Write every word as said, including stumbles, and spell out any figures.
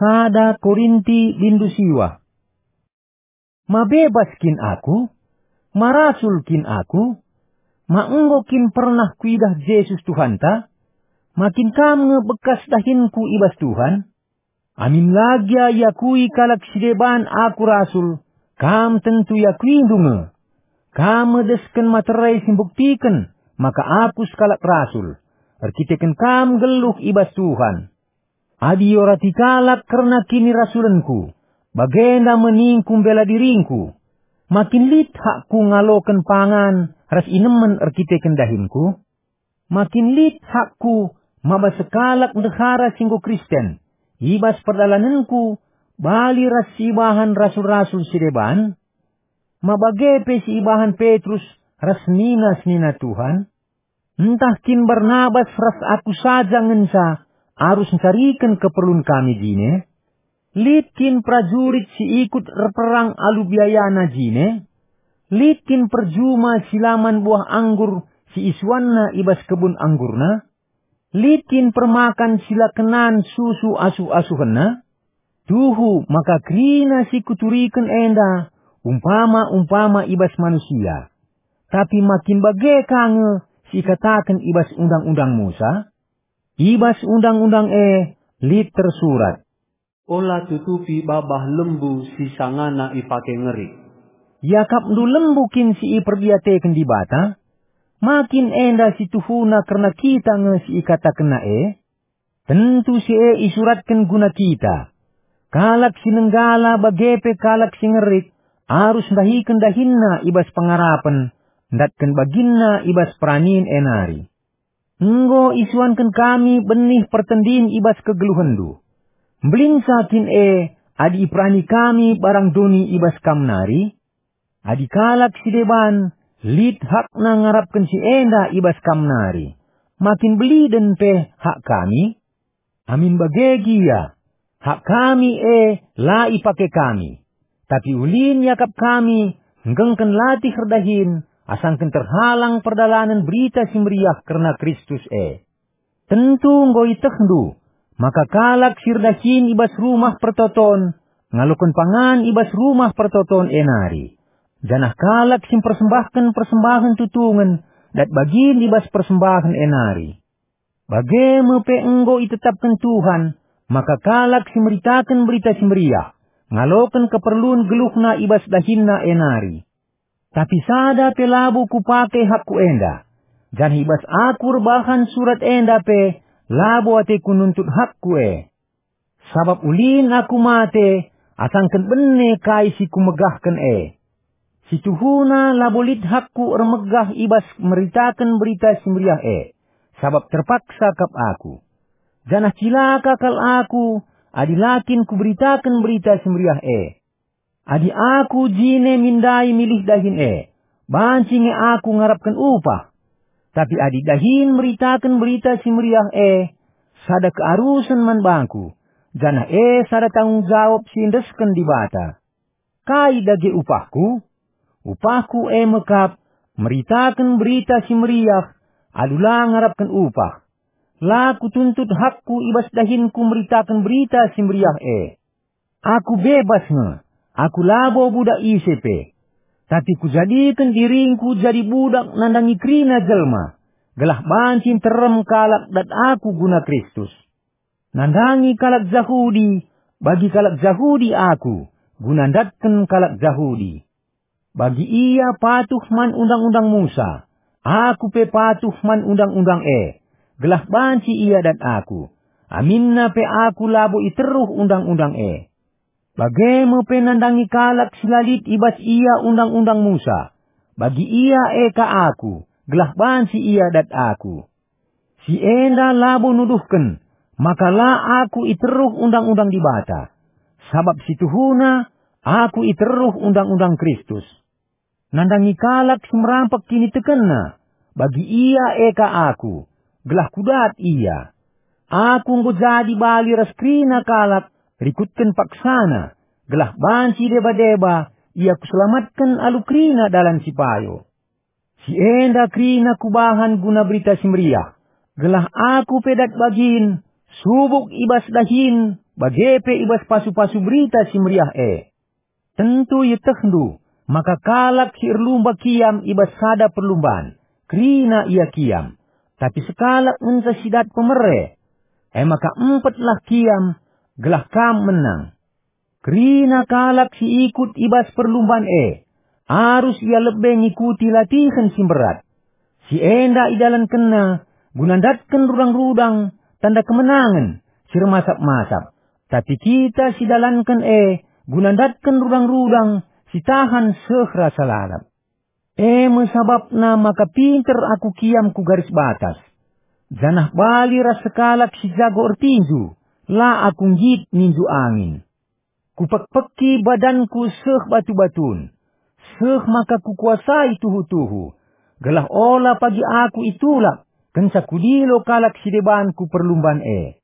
Sada Korinti bindu siwa. Ma bebas kin aku? Ma rasul kin aku? Ma enggo kin pernah kuidah Jesus Tuhanta? Ma kin kam nge bekas dahinku i bas Tuhan? Amin la gia iakui kalak si deban aku rasul, kam tentu iakuindu nge. Kam me desken materai si mbuktiken maka aku sekalak rasul, erkiteken kam nggeluh i bas Tuhan. Adi iorati kalak kerna kinirasulenku, bagenda me ningku mbela diringku. Ma kin lit hakku ngaloken pangan ras inemen erkiteken dahinku? Ma kin lit hakku maba sekalak ndehara si enggo Kristen, i bas perdalanenku, bali ras si ibahan rasul-rasul si deban? Ma bage pe si ibahan Petrus ras senina-senina Tuhan? Ntah kin Barnabas ras aku saja ngenca arus ncariken keperlun kami jine? Lit kin perajurit si ikut erperang alu biayana jine? Lit kin perjuma si la man buah anggur si isuanna i bas kebun anggurna? Lit kin permakan si la kenan susu asuh-asuhenna? Tuhu maka kerina si kuturiken enda umpama-umpama i bas manusia. Tapi ma kin bage ka nge si ikataken i bas Undang-undang Musa? I bas Undang-undang e lit tersurat, "Ola tutupi babah lembu si sangana ipake ngerik." Iakapndu lembu kin si iperdiateken Dibata? Ma kin enda si tuhuna kerna kita nge si ikatakenna e? Tentu si e isuratken guna kita. Kalak si nenggala bage pe kalak si ngerik arus ndahiken dahinna i bas pengarapen, ndatken baginna i bas peranin e nari. Enggo isuanken kami benih pertendin i bas kegeluhenndu. Mbelinca kin e adi iperani kami barang doni i bas kam nari? Adi kalak si deban lit hakna ngarapken si enda i bas kam nari, ma kin beliden pe hak kami? Amin bage gia, hak kami e la ipake kami, tapi ulin iakap kami nggengken latih erdahin asangken terhalang perdalanen Berita Si Meriah kerna Kristus e. Tentu enggo ietehndu maka kalak si erdahin i bas Rumah Pertoton ngaloken pangan i bas Rumah Pertoton e nari, janah kalak si mpersembahken persembahen tutungen dat bagin i bas persembahen e nari. Bage me pe enggo itetapken Tuhan maka kalak si meritaken Berita Si Meriah ngaloken keperlun geluhna i bas dahinna e nari. Tapi sada pe labo kupake hakku enda, janah i bas aku erbahan surat enda pe labo ateku nuntut hakku e. Sabap ulin aku mate asangken bene kai si kumegahken e. Si tuhuna labo lit hakku ermegah i bas meritaken Berita Si Meriah e, sabap terpaksa kap aku. Janah cilaka kal aku adi la kin kuberitaken Berita Si Meriah e. Adi aku jine min ndai milih dahin e, banci nge aku ngarapken upah. Tapi adi dahin meritaken Berita Si Meriah e, sada kearusen man bangku, janah e sada tanggung jawab si iendesken Dibata. Kai dage upahku? Upahku e me kap meritaken Berita Si Meriah alu la ngarapken upah. La kutuntut hakku i bas dahinku meritaken Berita Si Meriah e. Aku bebas nge, aku labo budak ise pe. Tapi kujadiken diringku jadi budak nandangi kerina jelma, gelah banci nterem kalak dat aku guna Kristus. Nandangi kalak Jahudi, bagi kalak Jahudi aku, guna ndatken kalak Jahudi. Bagi ia patuh man Undang-undang Musa, aku pe patuh man Undang-undang e, gelah banci ia dat aku, aminna pe aku labo iteruh Undang-undang e. Bage me pe nandangi kalak si la lit i bas ia Undang-undang Musa, bagi ia e ka aku, gelah banci ia dat aku. Si enda labo nuduhken maka la aku iteruh Undang-undang Dibata, sabap si tuhuna aku iteruh Undang-undang Kristus. Nandangi kalak si merampek kinitekenna, bagi ia e ka aku, gelah kudat ia. Aku enggo jadi bali ras kerina kalak rikutken paksana, gelah banci deba-deba ia kuselamatken alu kerina dalan si payo. Si enda kerina kubahan guna Berita Si Meriah, gelah aku pe dat bagin, subuk i bas dahin, bage pe i bas pasu-pasu Berita Si Meriah e. Tentu ietehndu maka kalak si erlumba kiam i bas sada perlumban, kerina ia kiam, tapi sekalak ngenca si dat pemere. E maka empetlah kiam, gelah kam menang. Kerina kalak si ikut i bas perlumban e, arus ia lebe ngikuti latihen si mberat. Si enda idalankenna guna ndatken rudang-rudang tanda kemenangen si ermasap-masap, tapi kita si dalanken e guna ndatken rudang-rudang si tahan seh rasa lalap. E me sabapna maka pinter aku kiam ku garis batas, janah bali ras sekalak si jago ertinju, la aku nggit ninju angin. Kupekpeki badanku seh batu-batun, seh maka kukuasai tuhu-tuhu, gelah ola pagi aku itulak kenca kudilo kalak si deban ku perlumban e.